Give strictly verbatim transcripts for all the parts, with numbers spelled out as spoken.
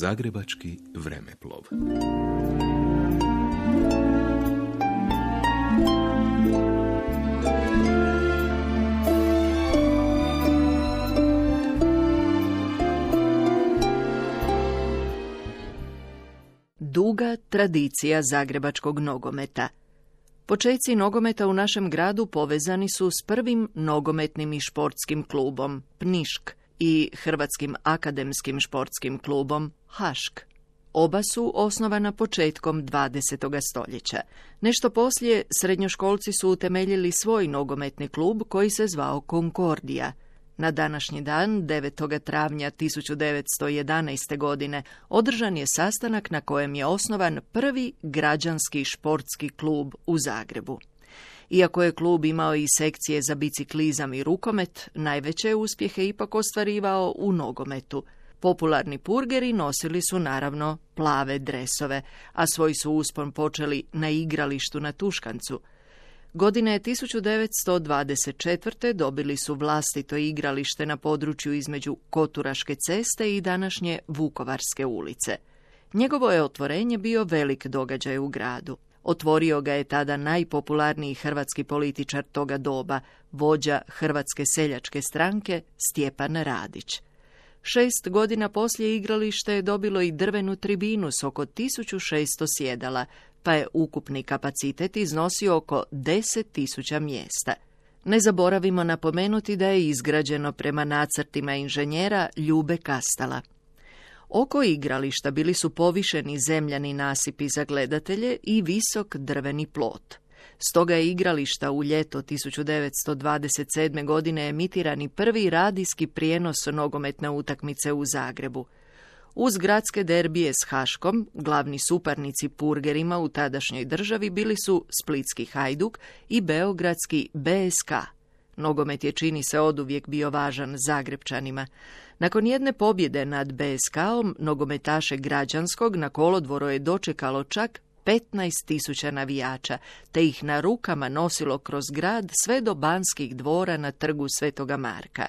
Zagrebački vremeplov. Duga tradicija zagrebačkog nogometa. Počeci nogometa u našem gradu povezani su s prvim nogometnim i športskim klubom Pnišk i Hrvatskim akademskim športskim klubom Hašk. Oba su osnovana početkom dvadesetog stoljeća. Nešto poslije srednjoškolci su utemeljili svoj nogometni klub koji se zvao Konkordija. Na današnji dan, devetog travnja tisuću devetsto jedanaeste. godine, održan je sastanak na kojem je osnovan prvi građanski športski klub u Zagrebu. Iako je klub imao i sekcije za biciklizam i rukomet, najveće uspjehe ipak ostvarivao u nogometu. Popularni purgeri nosili su naravno plave dresove, a svoj su uspon počeli na igralištu na Tuškancu. Godine tisuću devetsto dvadeset četvrte. dobili su vlastito igralište na području između Koturaške ceste i današnje Vukovarske ulice. Njegovo je otvorenje bio velik događaj u gradu. Otvorio ga je tada najpopularniji hrvatski političar toga doba, vođa Hrvatske seljačke stranke Stjepan Radić. Šest godina poslije igralište je dobilo i drvenu tribinu s oko tisuću šesto sjedala, pa je ukupni kapacitet iznosio oko deset tisuća mjesta. Ne zaboravimo napomenuti da je izgrađeno prema nacrtima inženjera Ljube Kastala. Oko igrališta bili su povišeni zemljani nasipi za gledatelje i visok drveni plot. Stoga je igrališta u ljeto tisuću devetsto dvadeset sedme. godine emitirani prvi radijski prijenos nogometne utakmice u Zagrebu. Uz gradske derbije s Haškom, glavni suparnici purgerima u tadašnjoj državi bili su splitski Hajduk i beogradski B S K. Nogomet je, čini se, oduvijek bio važan Zagrepčanima. Nakon jedne pobjede nad B S K-om, nogometaše građanskog na kolodvoru je dočekalo čak petnaest tisuća navijača, te ih na rukama nosilo kroz grad sve do Banskih dvora na trgu Svetoga Marka.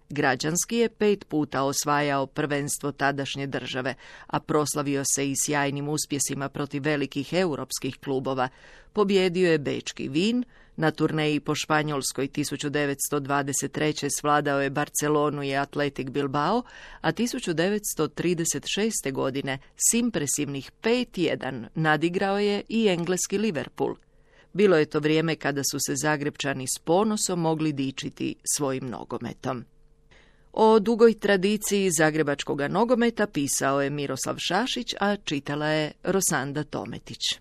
Građanski je pet puta osvajao prvenstvo tadašnje države, a proslavio se i sjajnim uspjesima protiv velikih europskih klubova. Pobjedio je bečki Vin, na turneji po Španjolskoj tisuću devetsto dvadeset treće. svladao je Barcelonu i Athletic Bilbao, a tisuću devetsto trideset šeste. godine s impresivnih pet jedan nadigrao je i engleski Liverpool. Bilo je to vrijeme kada su se Zagrepčani s ponosom mogli dičiti svojim nogometom. O dugoj tradiciji zagrebačkog nogometa pisao je Miroslav Šašić, a čitala je Rosanda Tometić.